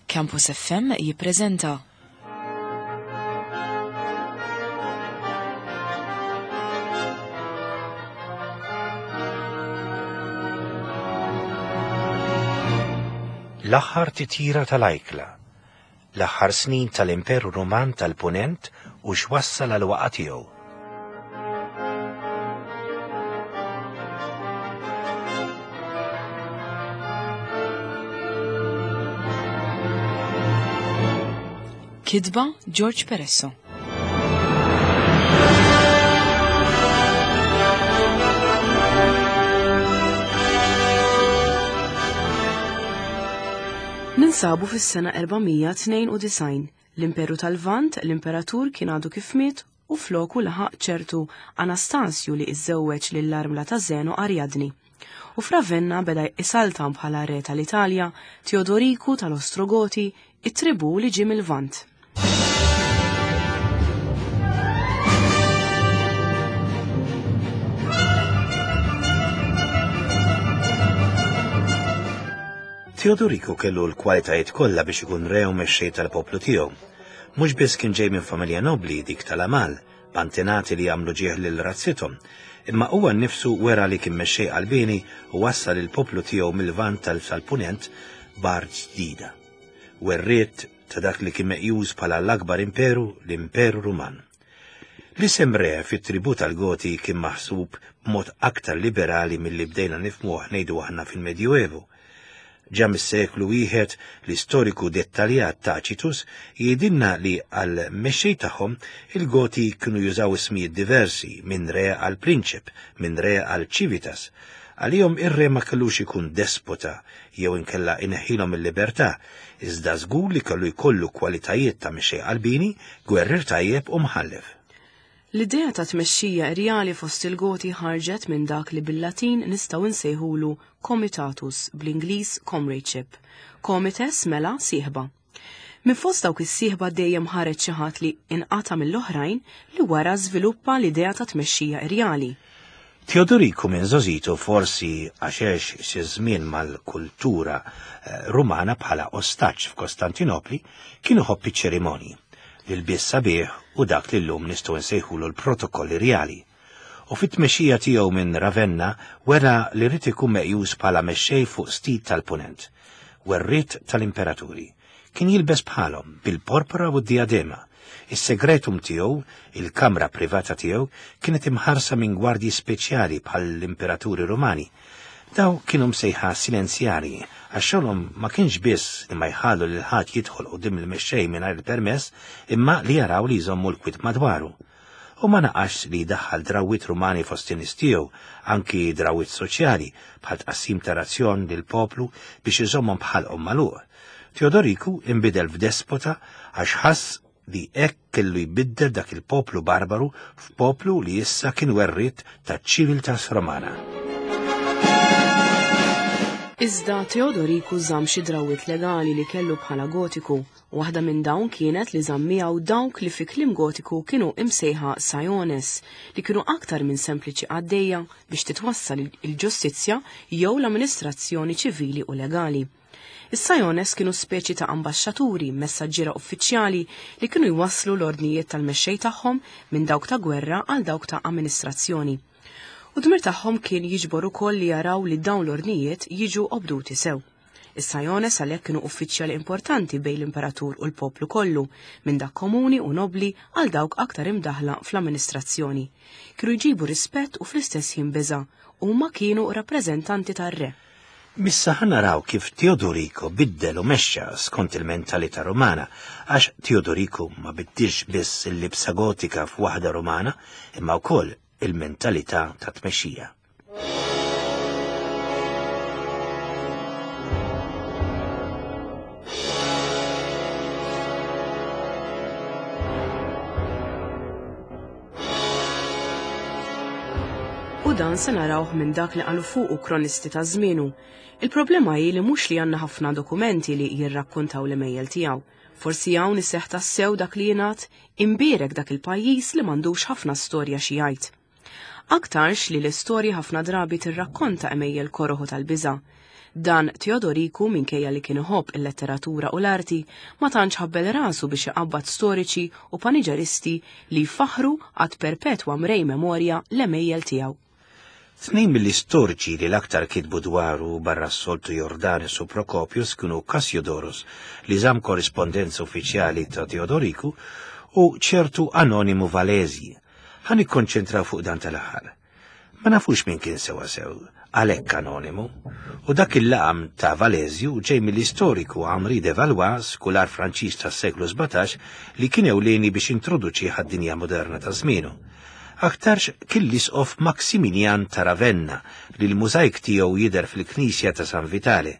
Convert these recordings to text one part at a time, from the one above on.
Campus FM jippreżenta L-aħħar titjira tal-ajkla, l-aħħar snin tal-Imperu Ruman tal-Punent u x'wassal għal waqa' tiegħu. Kitba George Peresso. Ninsabu fis-sena 492 L-Imperu tal-Lvant, l-Imperatur kien għadu kif miet u floku laħaq ċertu Anastasju li iżżewweġ lill-armla ta' Zeno Ariadni. U f'Ravenna beda isaltan bħala re tal-Italja Teodoriku tal-Ostrogoti, it-tribù li ġie mill-Lvant. Teodoriku kellu l-kwalitajiet kollha biex ikun re u mexxej tal-poplu tiegħu. Mhux biss kien ġej minn familja nobbli dik tal-Amal, b'antenati li għamlu ġieħ lil razzithom, imma huwa nnifsu wera li kien mexxej qalbieni u wassal il-poplu tiegħu mil-Lvant sal-Punent b'art ġdida. Werriet ta' dak li kien meqjus bħala l-akbar imperu, l-Imperu Ruman. L-isem re fit-tribù tal-Goti kien maħsub b'mod aktar liberali milli bdejna nifhmuh ngħidu aħna fil-Medjuevu. Ġa mis-seklu wieħed, l-istoriku dettaljat Tacitus jgħidilna li għall-mexxej tagħhom il-Goti kienu jużaw ismijiet diversi minn re għal prinċep, minn re għal civitas. Għalihom ir-re ma kellux ikun despota jew inkella ineħħilhom il-libertà, iżda żgur li kellu jkollu kwalitajiet ta' mexxej qalbieni, gwerrier tajjeb u mħallef. L-idea ta' tmexxija irjali fost il-Goti ħarġet minn dak li bil-Latin nistgħu nsejħulu comitatus, bl-Ingliż comradeship. Comites mela sieħba. Minn fost dawk is-sieħba dejjem ħareġ xi ħadd li inqata' mill-oħrajn li wara żviluppa l-idea ta' tmexxija irjali. Teodoriku minn żgħożitu forsi għax għex xi żmien mal-kultura eh, Rumana bħala ostaġġ f'Kostantinopli, kien iħobb iċ-ċerimonji, l-ilbies sabiħ u dak li llum nistgħu nsejħulu l-protokolli rjali. U fit-tmexxija tiegħu minn Ravenna wera li ried ikun meqjus bħala mexxej fuq stit tal-Punent, werriet tal-imperaturi. Kien jilbes bħalhom, bil-porpora u d-dijadema. Is-segretum tiegħu, il-kamra privata tiegħu, kienet imħarsa minn gwardji speċjali bħall-imperaturi Rumani. Daw kienu msejħa silenzjarji għax xogħolhom ma kienx biss li ma jħallu lil ħadd jidħol quddiem il-mexxej mingħajr il-permess imma li jaraw li jżommu l-kwiet madwaru. U ma naqasx li jdaħħal drawwiet Rumani fost in-nies tiegħu, anki drawwiet soċjali, bħal tqassim ta' razzjon lill-poplu biex iżommhom b'ħalqhom magħluq. Teodoriku inbidel f'despota għax ħass li hekk kellu jbiddel dak il-poplu barbaru f'poplu li issa kien werriet taċ-civiltas Romana. Iżda Teodoriku żamm xi drawwiet legali li kellu bħala Gotiku Waħda minn dawn kienet li żamm miegħu dawk li fi kliem Gotiku kienu imsejħa saiones, li kienu aktar minn sempliċi qaddejja biex titwassal il-ġustizzja jew l-amministrazzjoni ċivili u legali. Is-saiones kienu speċi ta' ambaxxaturi, messaġġiera uffiċjali li kienu jwasslu l-ordnijiet tal-mexxej tagħhom minn dawk ta' gwerra għal dawk ta' amministrazzjoni. U dmir tagħhom kien jiġbor ukoll li jaraw li dawn l-ordnijiet jiġu obduti sew. Is-Sajones għalhekk kienu uffiċjali importanti bejn l-imperatur u l-poplu kollu, minn dak komuni u nobbli għal dawk aktar imdaħħla fl-amministrazzjoni. Kienu jġibu rispett u fl-istess ħin biża'. Huma kienu rappreżentanti tar-re. Missa ħa naraw kif Teodorico biddel u mexxa skont il-mentalità Rumana, għax Teodorico ma biddilx biss il-libsa Gotika f'waħda Rumana, imma wkoll il-mentalità ta' tmexxija. U dan se narawh minn dak li qalu fuqu kronisti ta' żmienu. Il-problema hi li mhux li għandna ħafna dokumenti li jirrakkontaw l-imejjel tiegħu. Forsi hawn iseħħ tassew dak li jingħad, imbierek dak il-pajjiż li m'għandux ħafna storja xi jgħid. Aktarx li l-istorja ħafna drabi tirrakkonta għemejjel koroh u tal-biża'. Dan Teodoriku minkejja li kien iħobb il-letteratura u l-arti, ma tantx ħabbel rasu biex iqabbad storiċi u paniġeristi li jfaħħru ad perpetwa mrej memorja l-għemejjel tiegħu. Tnejn mill-istoriċi li l-aktar kitbu dwaru barra s-soltu Jordanes u Procopius kienu Cassiodorus, li żamm korrispondenza uffiċjali ta' Teodoriku, u ċertu Anonimu Valesi. Ħa nikkonċentraw fuq dan tal-aħħar. Ma nafux min kien sewwasew, għalhekk anonimu, u dak il-laqam ta' Valesju ġej mill-istoriku Henri de Valois, skular Franċiż tas-seklu 17, li kien ewlieni biex introduċih għad-dinja moderna ta' żmienu. Aktarx kien l-isqof Maximilian ta' Ravenna li l-mużajk tiegħu jidher fil-knisja ta' San Vitale.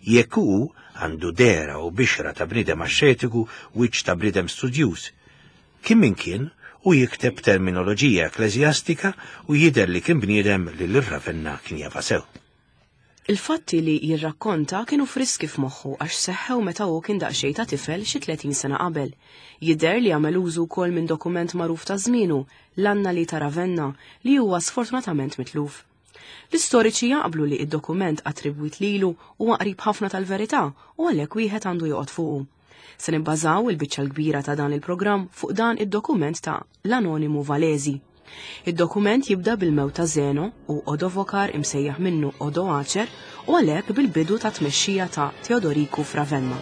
Jekk hu għandu dehra u bixra ta' bniedem axxetiku, wiċċ ta' bniedem studjuż. Kien min kien, hu jikteb b'terminoloġija ekkleżjastika u jidher li kien bniedem li lil Ravenna kien jafha sew. Il-fatti li jirrakkonta kienu friski f'moħħu għax seħħew meta hu kien daqsxejn ta' tifel xi 30 sena qabel. Jidher li għamel użu wkoll minn dokument magħruf ta' żmienu, l-Annali ta' Ravenna, li huwa sfortunatament mitluf. L-istoriċi jaqblu li d-dokument attribwit lilu huwa qrib ħafna tal-verità u għalhekk wieħed għandu joqgħod fuqu. Se nibbażaw il-biċċa l-kbira ta' dan il-programm fuq dan id-dokument ta' l-Anonimu Valesi. Id-dokument jibda bil-mewt ta' Zeno u Odovokar imsejjaħ minnu Odoacer u għalhekk bil-bidu ta' tmexxija ta' Teodoriku f'Ravenna.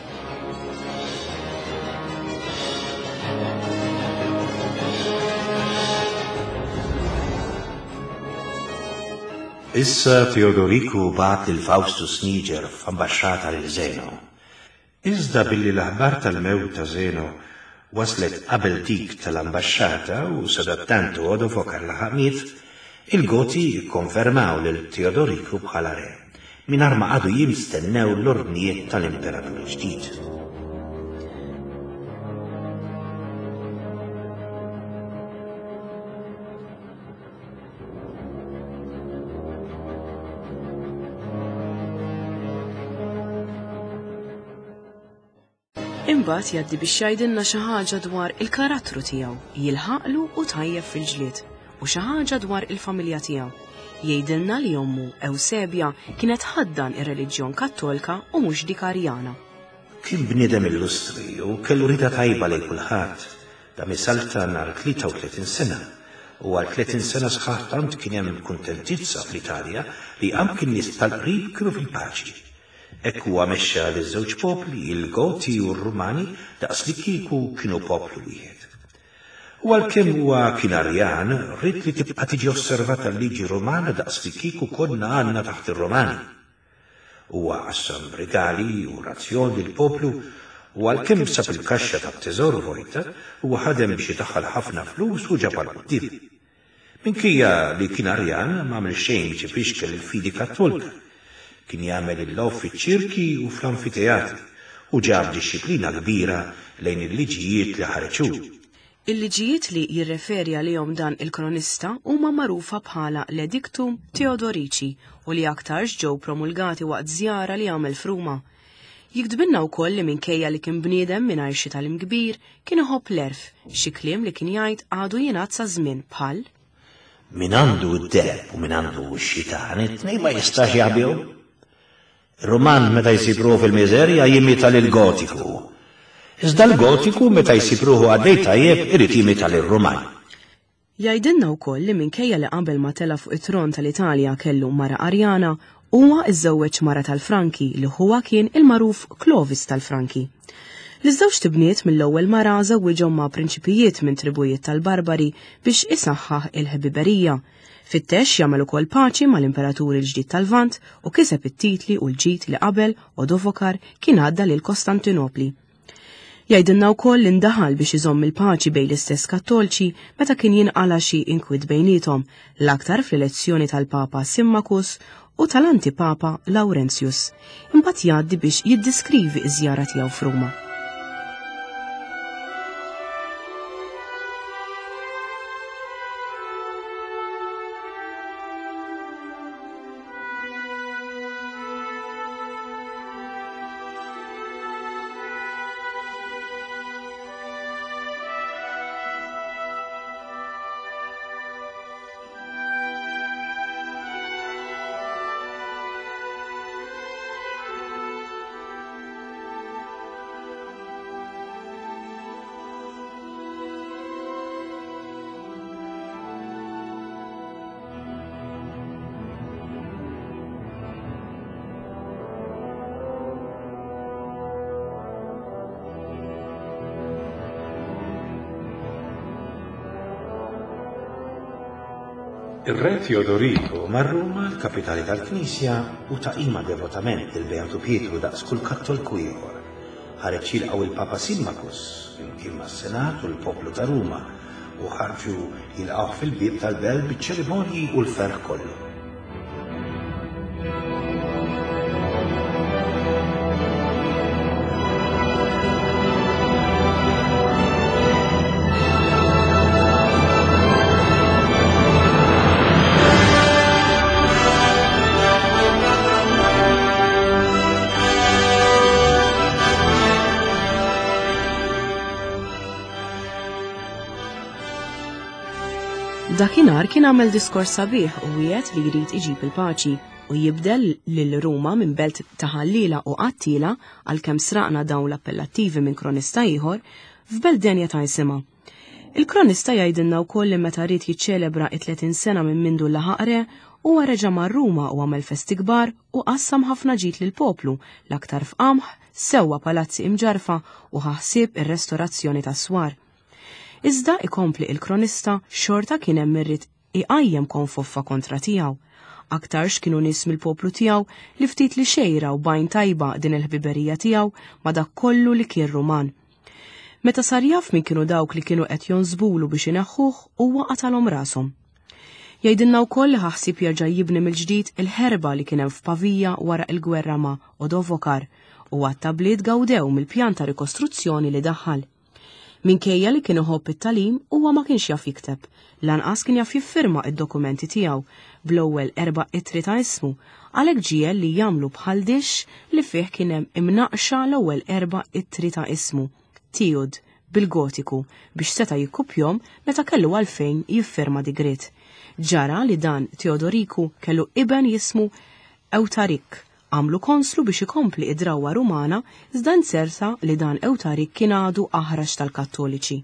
Issa Teodoriku bagħat lil Faustus Niger f'ambaxxata lil Zeno. Iżda billi l-aħbar tal-mewt ta' Zeno waslet qabel dik tal-ambaxxata u sadattant Odovokar laħaq miet, il-Goti kkonfermaw lil Teodoriku bħala re, mingħajr ma qagħdu jistennew l-ordnijiet tal-imperatur il-ġdid. Imbagħad jgħaddi biex jgħidilna xi ħaġa dwar il-karattru tiegħu, jilħaqlu u tajjeb fil-ġlied, u xi ħaġa dwar il-familja tiegħu. Jgħidilna li ommu Ewsebja kienet ħaddan ir-reliġjon Kattolka u mhux dik Arjana. Kien bniedem illustri u kellu rieda tajba lejn kulħadd. Dam isaltan għal 33 sena, u għal 30 sena sħaħ tant kien hemm kuntentizza fl-Italja li anki n-nies tal-qrib kienu fil-paċi. Hekk huwa mexxa liż-żewġ popli, il-Goti u r-Rumani, daqslikieku kienu poplu wieħed. U għalkemm huwa kien Arjan, ried li tibqa' tiġi osservata l-liġi Rumana daqslikieku konna għadna taħt ir-Rumani. Huwa qassam rigali u razzjon lill-poplu u għalkemm sab il-kaxxa tat-teżor vojta, huwa ħadem biex idaħħal ħafna flus u ġabha 'l quddiem. Minkejja li kien Arjan, m'għamel xejn biex ifixkel il-fidi Kattolika. Kien jagħmel il-logħob fiċ-ċirki u fl-anfiteatri u ġab dixxiplina kbira lejn il-liġijiet li ħareġ hu. Il-liġijiet li jirreferi għalihom dan il-kronista huma magħrufa bħala l-Edictum Theodorici u li aktarx ġew promulgati waqt żjara li għamel f'Ruma. Jiktbilna wkoll li minkejja li kien bniedem mingħajr xi tagħlim kbir, kien iħobb l-għerf, xi kliem li kien jgħid għadu jingħad sa żmien bħal. Min għandu d-deheb u min għandu x-xitan, it-tnejn ma jistax jaħbihom. Ir-Ruman meta jsib ruħu fil-miżerja jimita lill-Gotiku. Iżda l-Gotiku meta jsib ruħu għaddej tajjeb irid jimita lir-Ruman. Jgħidilna wkoll li minkejja li qabel ma tela' fuq it-tron tal-Italja kellu mara Arjana, huwa żżewweġ mara tal-Franki li ħuha kien il-magħruf Clovis tal-Franki. Liż-żewġt ibniet mill-ewwel mara żewwiġhom ma' prinċipijiet minn tribujiet tal-Barbari biex isaħħaħ il-ħbiberija. Fittex jagħmel ukoll paċi mal-imperatur il-ġdid tal-Lvant u kiseb it-titli u l-ġid li qabel Odovokar kien għadda lil Kostantinopli. Jgħidilna wkoll li ndaħal biex iżomm il-paċi bejn l-istess Kattolċi meta kien jinqala' xi inkwiet bejniethom, l-aktar fl-elezzjoni tal-Papa Symmachus u tal-Antipapa Laurentius. Imbagħad jgħaddi biex jiddiskrivi ż-żjara tiegħu f'Ruma. Ir-Re Teodoriku mar Ruma, l-kapitali tal-Knisja, u ta qima devotament lil Beatu Pietru daqs kull Kattolku ieħor. Ħareġ jilqgħu il-Papa Simmachus, flimkien mas-Senat u l-poplu ta' Ruma, u ħarġu jilqgħuh fil-bieb tal-belt biċ-ċerimonji u l-ferħ kollu. Dakinhar kien għamel diskors sabiħ u wiegħed li jrid iġib il-paċi u jibdel lil Ruma minn belt ta' ħalliela u qattiela għalkemm sraqna dawn l-appellattivi minn kronista ieħor f'belt denja ta' isimha. Il-kronista jgħidilna wkoll li meta ried jiċċelebra it-30 sena minn mindu laħaq re, huwa reġa' mar Ruma u għamel festi kbar u qassam ħafna ġid lill-poplu, l-aktar f'qamħ, sewwa palazzi imġarrfa u ħa ħsieb ir-restorazzjoni tas-swar. Iżda, ikompli il-kronista, xorta kien hemm min ried iqajjem konfoffa kontra tiegħu. Aktarx kienu nies mill-poplu tiegħu li ftit li xejn raw b'għajn tajba din il-ħbiberija tiegħu ma' dak kollu li kien Ruman. Meta sar jaf min kienu dawk li kienu qed jonsbulu biex ineħħuh, huwa qatalhom rashom. Jgħidilna wkoll li ħa ħsieb jerġa' jibni mill-ġdid il-ħerba li kien hemm f'Pavia wara il-gwerra ma' Odovokar u għadd ta' bliet gawdew mill-pjan ta' rikostruzzjoni li daħħal. Minkejja li kien iħobb it-tagħlim, huwa ma kienx jaf jikteb. Lanqas kien jaf jiffirma id-dokumenti tiegħu bl-ewwel erba' ittri ta' ismu, għalhekk ġiegħel li jagħmlu bħal dixx li fih kien hemm imnaqqxa l-ewwel erba' ittri ta' ismu, Tiud, bil-Gotiku, biex seta' jikkupjhom meta kellu għalfejn jiffirma digriet. Ġara li dan Teodoriku kellu iben jismu Ewtarik, Għamlu konslu biex ikompli id-drawwa Rumana iżda nzerta li dan Ewtarik kien għadu aħrax tal-Kattoliċi.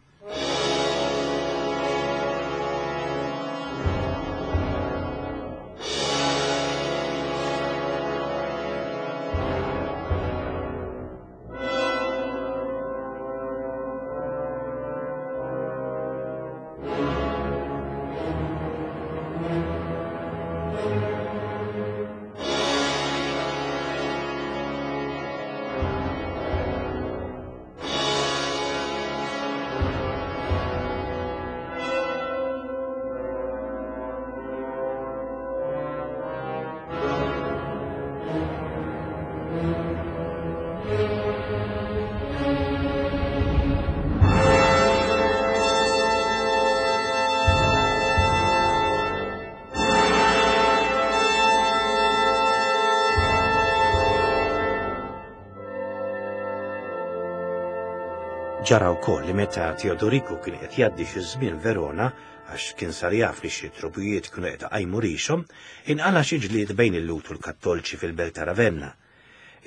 Ġara wkoll li meta Teodoriku kien qed jgħaddi xi żmien Verona, għax kien sar jaf li xi trubijiet kienu qed iqajmu rixhom, inqala' xi ġlied bejn il-Lhud u l-Kattolċi fil-belt ta' Ravenna.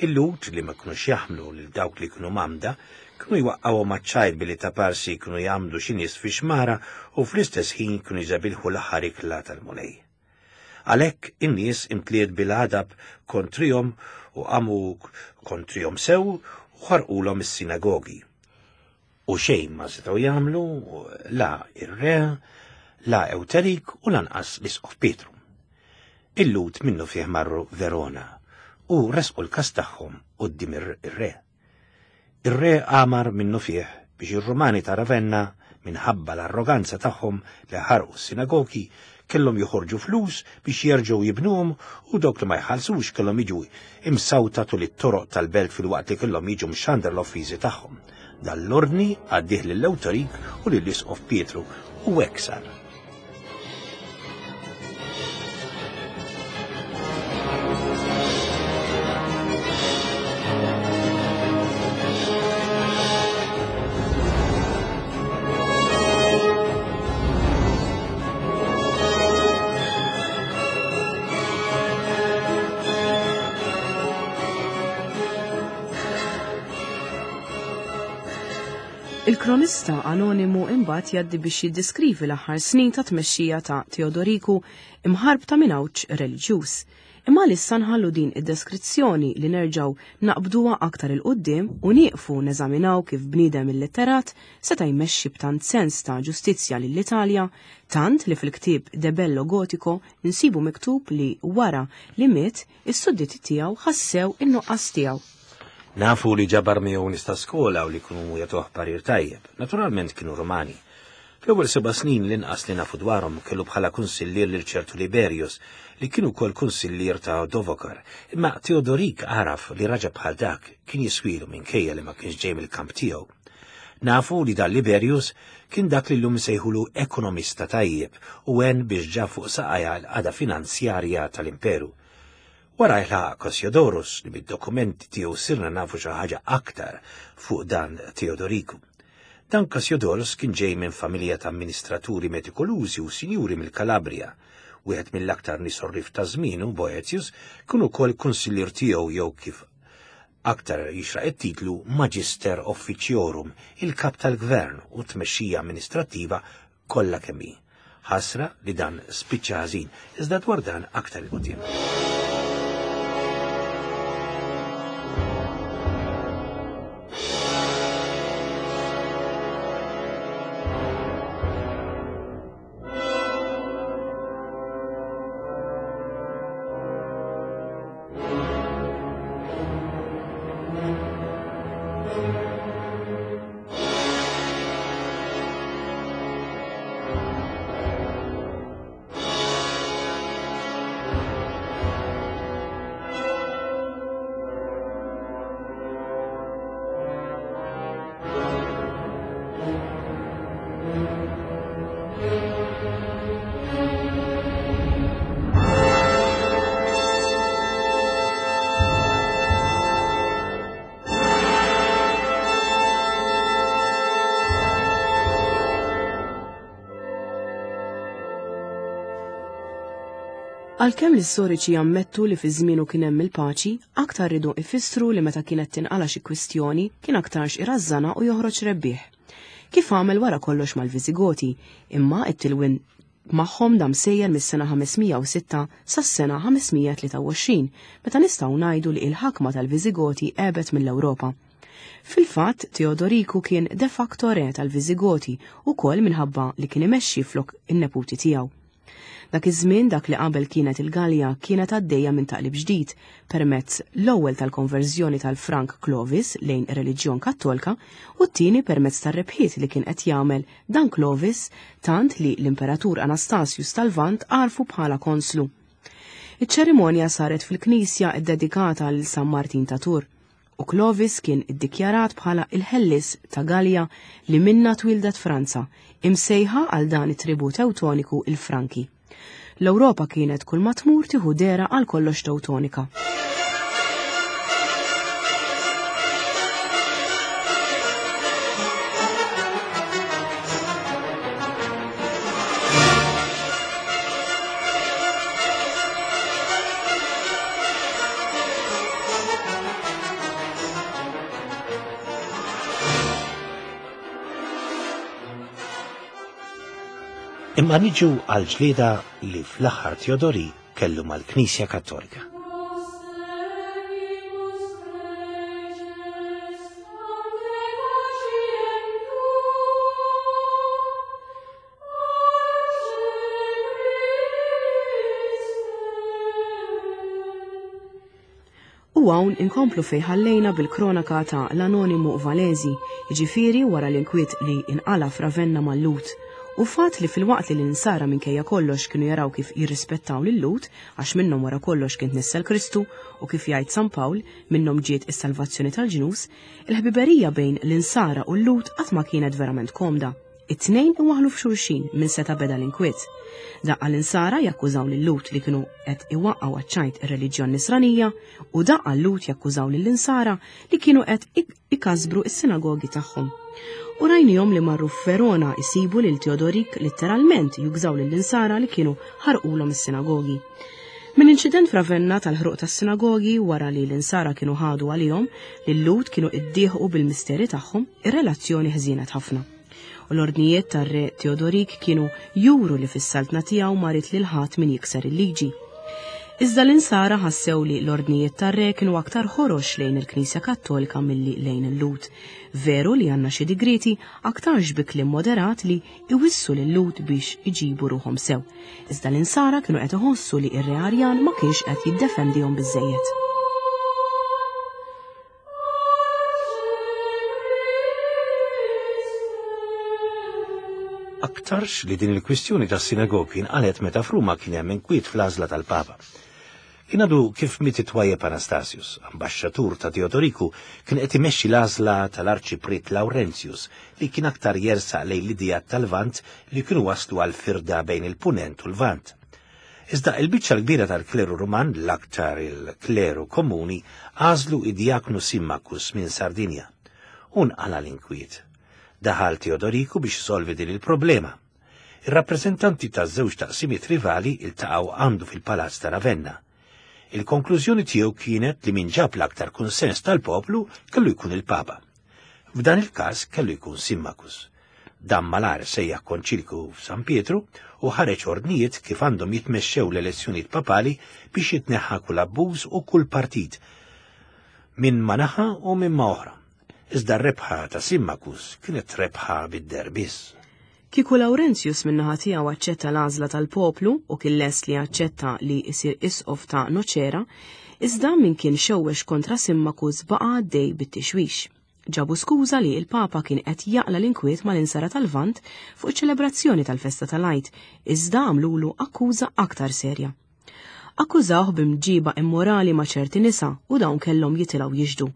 Il-Lhud, li ma kinux jaħmlu lil dawk li kienu mgħammda, kienu jwaqqgħuhom għaċ-ċajt billi taparsi kienu jgħammdu xi nies fi xmara u fl-istess ħin kienu jżebilħu l-aħħar ikla tal-Mulej. Għalhekk in-nies imtliet bil-għadab kontrihom u qamu kontrihom sew u ħarqulhom is-sinagogi. U xejn ma setgħu jagħmlu la ir-re, la Ewterik u lanqas l-Isqof Pietru. Il-Lhud minnufih marru Verona u ressqu l-każ tagħhom quddiem ir-re. Ir-re amar minnufih biex ir-Rumani ta' Ravenna, minħabba l-arroganza tagħhom li ħarqu s-sinagogi, kellhom joħorġu flus biex jerġgħu jibnuhom u dawk li ma jħallsux kellhom jiġu imsawta tul it-toroq tal-belt filwaqt li kellhom jiġu mxandra l-offiżi tagħhom. Dan l-ordni għaddih lil Ewterik u lill-Isqof Pietru u hekk sar. Il-kronista anonimu imbagħad jgħaddi biex jiddiskrivi l-aħħar snin ta' tmexxija ta' Teodoriku imħarbta minn għawġ reliġjuż. Imma għalissa nħallu din id-deskrizzjoni li nerġgħu naqbduha aktar 'il quddiem u nieqfu neżaminaw kif bniedem illitterat seta' jmexxi b'tant sens ta' ġustizzja lill-Italja tant li fil-ktieb De Bello Gotico nsibu miktub li wara li miet is-sudditi tiegħu ħassew in-nuqqas tiegħu. Nafu li ġabar miegħu nies ta' skola u li kienu jagħtuh parir tajjeb. Naturalment kienu Rumani. Fl-ewwel seba' snin l-inqas li nafu dwarhom kellu bħala kunsillier lil ċertu Liberius, li kien ukoll kunsillier ta' Dovokar, imma Teodorik għaraf li raġa bħal dak kien jiswilu minkejja li ma kienx ġej mill-kamp tiegħu. Nafu li dan Liberius kien dak li llum insejħulu ekonomista tajjeb u għen biex ġab fuq saqajha l-qagħda finanzjarja tal-imperu. Wara jlaħaq Cassiodorus li mid-dokumenti tiegħu sirna nafu xi ħaġa aktar fuq dan Teodoriku. Dan Cassiodorus kien ġej minn familja ta' amministraturi metikolużi u sinjuri mill-Kalabria. Wieħed mill-aktar nies orrif ta' żmienu, Boetius, kien ukoll kunsillier tiegħu jew kif aktar jixraq it-titlu Magister Officiorum, il-kap tal-gvern u t-tmexxija amministrattiva kollha kemm hi. Ħasra li dan spiċċa ħażin, iżda dwar dan aktar 'il quddiem. Għalkemm l-istoriċi jammettu li fi żmienu kien hemm il-paċi, aktar ridu ifissru li meta kienet tinqala xi kwistjoni kien aktarx irażżanha u joħroġ rebbieħ. Kif għamel wara kollox mal-Viżigoti, imma t-tilwin magħhom dam sejjer mis-sena 506 sas-sena 523, meta nistgħu ngħidu li il-ħakma tal-Viżigoti għebet mill-Ewropa. Fil-fatt, Teodoriku kien de facto re tal-Viżigoti ukoll minħabba li kien imexxi flok in-neputi tiegħu. Dak iż-żmien dak li qabel kienet il-Galja kienet għaddejja minn taqlib ġdid permezz l-ewwel tal-konverżjoni tal-Frank Clovis lejn ir-reliġjon Kattolka u t-tieni permezz tar-rebħiet li kien qed jagħmel dan Clovis tant li l-Imperatur Anastasius tal-Lvant għarfu bħala konslu. Iċ-ċerimonja saret fil-knisja ddedikata lil San Martin ta' Tours u Clovis kien iddikjarat bħala il-ħellies ta' Galja li minnha twieldet Franza, imsejħa għal dan it-tribù Tewtoniku il-Franki. L-Ewropa kienet kull ma tmur tieħu dehra għal kollox Tewtonika. Imma niġu għal ġlieda li fl-aħħar Teodori kellu mal-Knisja Kattolika. U hawn inkomplu fejn ħallejna bil-kronaka ta' l-Anonimu Valesi, jiġifieri wara l-inkwiet li inqala' f'Ravenna mal-Lhud. U fatt li filwaqt li l-Insara minkejja kollox kienu jaraw kif jirrispettaw lil-Lhud, għax minnhom wara kollox kien tnissel Kristu, u kif jgħid San Pawl, minnhom ġiet is-salvazzjoni tal-ġnus, il-ħbiberija bejn l-Insara u l-Lhud qatt ma kienet verament komda. It-tnejn iwaħħlu f'xulxin minn seta' beda l-inkwiet. Daqqa l-Insara jakkużaw lil-Lhud li kienu qed iwaqqgħu għaċ-ċajt ir-reliġjon Nisranija u daqqa l-Lhud jakkużaw lill-Insara li kienu qed ikasbru s-sinagogi tagħhom. U rajnihom li marru f'Verona jsibu lil Teodorik litteralment jugżaw lill-Insara li kienu ħarqulhom is-sinagogi. Minn inċident f'Ravenna tal-ħruq tas-sinagogi wara li l-Insara kienu ħadu għalihom li l-Lhud kienu iddieħqu bil-misteri tagħhom, ir-relazzjoni ħżienet ħafna. U l-ordnijiet tar-re Teodorik kienu juru li fis-saltna tiegħu ma ried lil ħadd min jikser il-liġi. Iżda l-insara ħassew li l-ordnijiet tar-re kienu aktar ħorox lejn il-Knisja Kattolika milli lejn il-Lhud. Veru li għandna xi digrieti aktarx bi kliem moderat li iwissu lil-Lhud biex iġibu ruħhom sew. Iżda l-insara kienu qed iħossu li r-re Arjan ma kienx qed jiddefendihom biżżejjed. Aktarx li din il-kwistjoni tas-sinagogi nqalet meta f'Ruma kien hemm inkwiet fl-għażla tal-Papa. Kien għadu kif miet it-twajjeb Anastasius, ambaxxatur ta' Teodoriku, kien qed imexxi l-għażla tal-Arċipriet Laurentius li kien aktar jersaq lejn l-ideat tal-Lvant li kienu waslu għal firda bejn il-Punent u l-Lvant. Iżda il-biċċa l-kbira tal-kleru Ruman, l-aktar il-kleru komuni, għażlu id-djaknu Simmacus minn Sardinja. U nqala' l-inkwiet. Daħal Teodoriku biex isolvi din il-problema. Ir-rappreżentanti taż-żewġ taqsimiet rivali iltaqgħu għandu fil-Palazz ta' Ravenna. Il-konklużjoni tiegħu kienet li min ġab l-aktar kunsens tal-poplu kellu jkun il-Papa. F'dan il-każ kellu jkun Simmacus. Dan malajr sejjaħ konċilju f'San Pietru u ħareġ ordnijiet kif għandhom jitmexxew l-elezzjonijiet papali biex jitneħħa kull abbuż u kull partit minn ma naħa u minn ma oħra. Iżda r-rebħa ta' Simmacus kienet rebħa bid-deher biss. Kieku Laurentius min-naħa tiegħu aċċetta l-għażla tal-poplu u kien lest li jaċċetta li jsir isqof ta' Nocera, iżda min kien xewwex kontra Simmacus baqa' għaddej bit-tixwix. Ġabu skuża li l-Papa kien qed jaqla' l-inkwiet mal-Insara tal-Lvant fuq iċ-ċelebrazzjoni tal-festa tal-Għid, iżda għamlulu akkuża aktar serja. Akkużawh b'imġiba immorali ma' ċerti nisa u dawn kellhom jitilgħu jixhdu.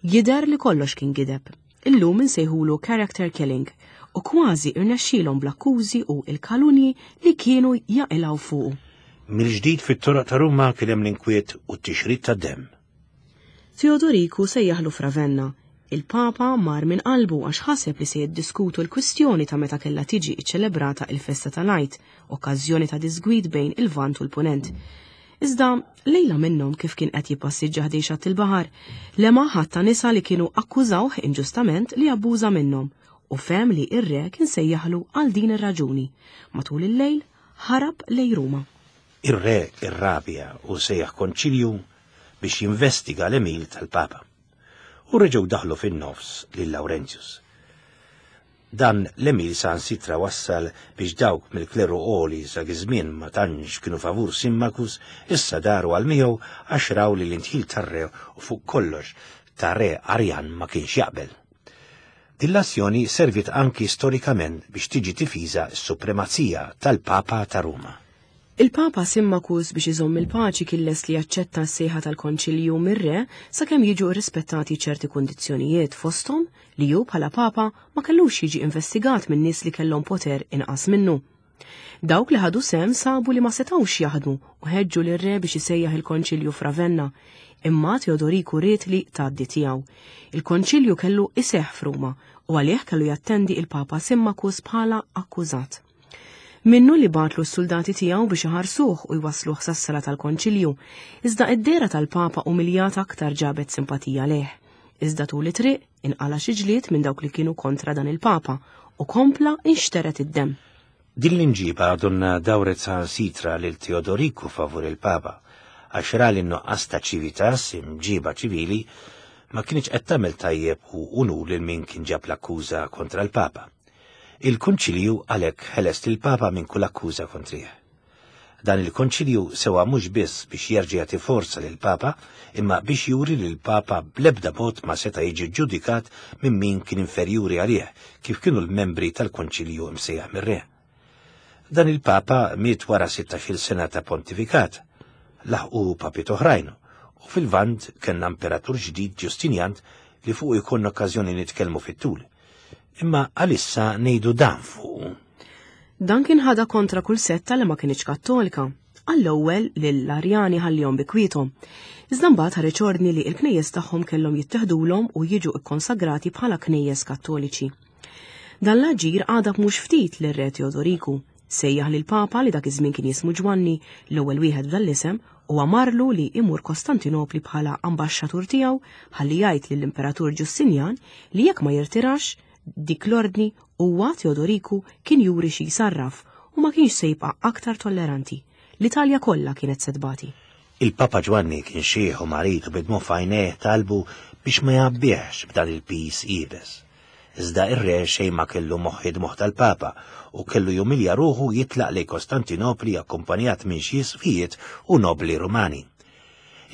Jidher li kollox kien gideb. Illum insejħulu character killing u kważi irnexxielhom bl-akkużi u l-kalunji li kienu jaqilgħu fuqu. Mill-ġdid fit-toroq ta' Ruma kien hemm l-inkwiet u t-tixrid tad-demm. Teodoriku sejjaħlu f'Ravenna. Il-Papa mar minn qalbu għax ħaseb li se jiddiskutu l-kwistjoni ta' meta kellha tiġi ċċelebrata il-festa tal-Għid, okkażjoni ta' diżgwid bejn il-Lvant u l-Punent. Iżda, lejla minnhom kif kien qed jippassiġġa ħdejn xatt il-baħar, lemaħ għadd ta' nisa li kienu akkużawh inġustament li abbuża minnhom u fehem li r-re kien sejjaħlu għal din ir-raġuni. Matul il-lejl, ħarab lejn Ruma. Ir-re irrabja u sejjaħ konċilju biex jinvestiga l-għemil tal-Papa. U reġgħu daħlu fin-nofs lil Laurentius. Dan l-għemil saħansitra wassal biex dawk mill-kleru għoli dak iż-żmien ma tantx kienu favur Simmacus issa daru għal miegħu għax raw li l-indħil tar-re u fuq kollox ta' re Arjan ma kienx jaqbel. Din l-azzjoni serviet anki storikament biex tiġi tifiża s-supremazija tal-Papa ta' Ruma. Il-Papa Simmacus biex iżomm il-paċi kien lest li jaċċetta s-sejħa tal-Konċilju mir-re sakemm jiġu rrispettati ċerti kundizzjonijiet fosthom li hu bħala Papa ma kellux jiġi investigat minn nies li kellhom poter inqas minnu. Dawk li ħadu sehem sabu li ma setgħux jaħdmu u ħeġġu lir-re biex isejjaħ il-Konċilju f'Ravenna. Imma Teodoriku ried li tgħaddi tiegħu. Il-Konċilju kellu iseħħ f'Ruma u għalih kellu jattendi il-Papa Simmacus bħala akkużat. Minnu li bagħatlu s-suldati tiegħu biex iħarsuh u jwassluh sas-sala tal-konċilju, iżda id-dehra tal-Papa umiljat aktar ġabet simpatija lejh. Iżda tul it-triq inqala' xi ġlied minn dawk li kienu kontra dan il-Papa u kompla inxtered id-demm. Din l-imġiba donnha dawret saħansitra lil Teodoriku favur il-Papa, għax ra li n-nuqqas ta' civitas, imġiba ċivili, ma kinitx qed tagħmel tajjeb u unur lil min kien ġab l-akkuża kontra l-Papa. Il-Konċilju għalhekk ħeles lill-Papa minn kull akkuża kontrih. Dan il-Konċilju sewa mhux biss biex jerġa' jagħti forza lill-Papa, imma biex juri li l-Papa bl-ebda mod ma seta' jiġi ġġudikat minn min kien inferjuri għalih, kif kienu l-membri tal-Konċilju msejjaħ mir-Re. Dan il-Papa miet wara sittax-il sena ta' pontifikat. Laħqu papiet oħrajn, u fil-Lvant kellna imperatur ġdid Ġustinjan li fuqu jkollna okkażjoni nitkellmu fit-tul. Imma għalissa ngħidu dan fuqu. Dan kien ħadha kontra kull setta li ma kinitx Kattolika. Għall-ewwel lill-Arjani ħallihom bi kwiethom. Iżda mbagħad ħareġ ordni li l-knejjes tagħhom kellhom jitteħdulhom u jiġu kkonsagrati bħala knejjes Kattoliċi. Dan l-aġir għadab mhux ftit lir-Re Teodoriku. Sejjaħ lill-Papa li dak iż-żmien kien jismu Ġwanni, l-ewwel wieħed b'dan l-isem, u amarlu li imur Kostantinopli bħala ambaxxatur tiegħu ħalli jgħid lill-Imperatur Ġustinjan li jekk ma jirtirax dik l-ordni huwa Teodoriku kien juri xi jsarraf u ma kienx se jibqa' aktar tolleranti. L-Italja kollha kienet se tbati. Il-Papa Ġwanni kien xiħ u marid u bidmu f'għajnejh talbu biex ma jgħabbihx b'dan il-piż iebes. Iżda ir-re xejn ma kellu moħħ id-moħħ tal-Papa u kellu jumilja ruħu jitlaq lejn Kostantinopli akkumpanjat minn xi isqfijiet u nobli Rumani.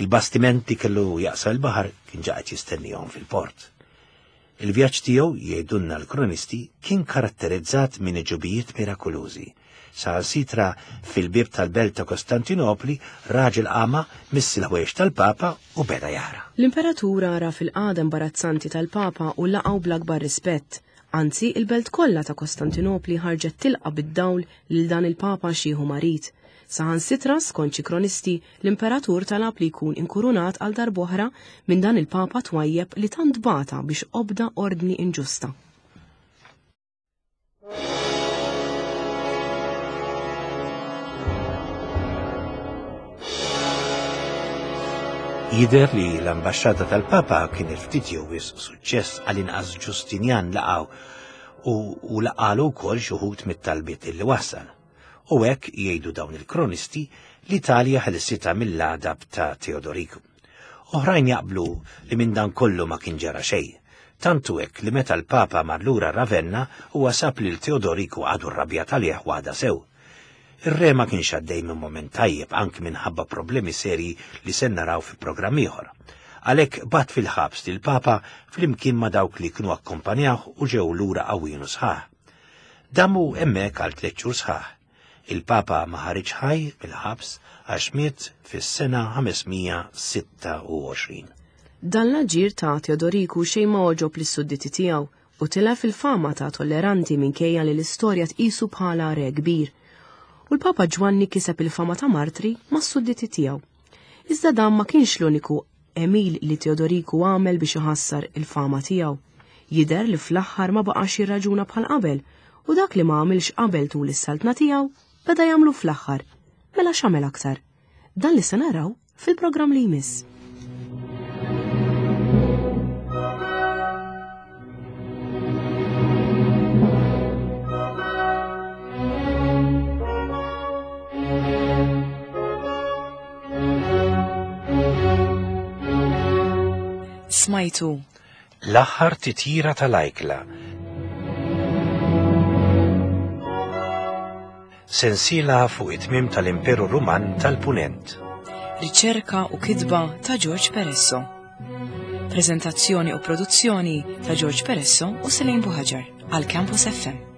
Il-bastiment li kellu jaqsam il-baħar kien ġa qed jistennihom fil-port. Il-vjaġġ tiegħu, jgħidulna l-kronisti, kien karatterizzat minn għeġubijiet mirakulużi. Saħansitra fil-bieb tal-belt ta' Kostantinopli, raġel għama miss il-ħwejjeġ tal-Papa u beda jara. L-imperatur għaraf il-qagħda imbarazzanti tal-Papa u laqgħu bl-akbar rispett. Anzi, il-belt kollha ta' Kostantinopli ħarġet tilqa' bid-dawl lil dan il-Papa xiħ u marid. Saħansitra, skont xi kronisti, l-imperatur talab li jkun inkurunat għal darb'oħra minn dan il-Papa twajjeb li tant bata biex obda ordni inġusta. Jidher li l-ambaxxata tal-Papa kienet ftit jew wisq suċċess għal inqas Ġustinjan laqgħu u, u laqalu wkoll xi wħud mit-talbiet li wassal. U hekk jgħidu dawn il-kronisti l-Italja ħelsitha mill-għadab ta' Teodoriku. Oħrajn jaqblu li minn dan kollu ma kien ġara xejn. Tant hu hekk li meta l-Papa mar lura Ravenna huwa sab lil Teodoriku għadu rrabjat għalih waħda sew. Ir-re ma kienx għaddej minn mument tajjeb anki minħabba problemi serji li se naraw fi programm ieħor. Għalhekk bagħat fil-ħabs lill-Papa flimkien ma' dawk li kienu akkompanjawh u ġew lura qawwin u sħaħ. Damu hemmhekk għal tliet xhur sħaħ. Il-Papa ma ħariġx ħaj mill-ħabs għax miet fis-sena 526. Dan l-aġir ta' Teodoriku xejn ma għoġob lis-sudditi tiegħu u tilef il-fama ta' tolleranti minkejja li l-istorja tqisu bħala re kbir. U l-Papa Ġwanni kiseb il-fama ta' martri mas-sudditi tiegħu. Iżda dan ma kienx l-uniku għemil li Teodoriku għamel biex iħassar il-fama tiegħu. Jidher li fl-aħħar ma baqax jirraġuna bħal qabel u dak li ma għamilx qabel tul is-saltna tiegħu beda jagħmlu fl-aħħar. Mela x'għamel aktar? Dan li se naraw fil-programm li jmiss. Smajtu. L-aħħar titjira tal-ajkla. Sensiela fuq it-tmiem tal-Imperu Ruman tal-Punent. Riċerka u kitba ta' George Peresso. Prezentazzjoni u produzzjoni ta' George Peresso u Selene Buhaġar għal Campus FM.